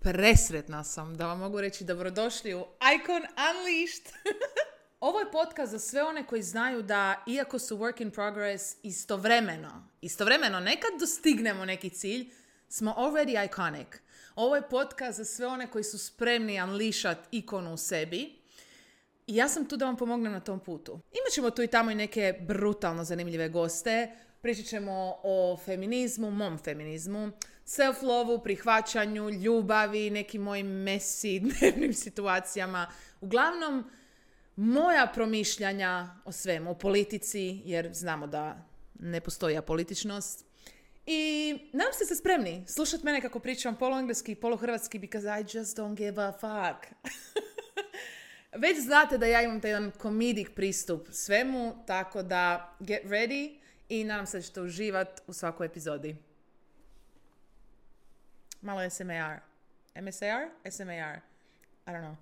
Presretna sam da vam mogu reći dobrodošli u Icon Unleashed. Ovo je podcast za sve one koji znaju da, iako su work in progress, istovremeno nekad dostignemo neki cilj, smo already iconic. Ovo je podcast za sve one koji su spremni unleashat ikonu u sebi. I ja sam tu da vam pomognem na tom putu. Imat ćemo tu i tamo i neke brutalno zanimljive goste. Pričat ćemo o feminizmu, mom feminizmu, self-lovu, prihvaćanju, ljubavi, nekim mojim messy dnevnim situacijama. Uglavnom, moja promišljanja o svemu, o politici, jer znamo da ne postoji apolitičnost. I nadam ste spremni slušati mene kako pričam poluengleski i poluhrvatski, because I just don't give a fuck. Već znate da ja imam taj jedan comedic pristup svemu, tako da get ready i nadam se da ćete uživati u svakoj epizodi. Malo SMAR. MSAR? SMAR. I don't know.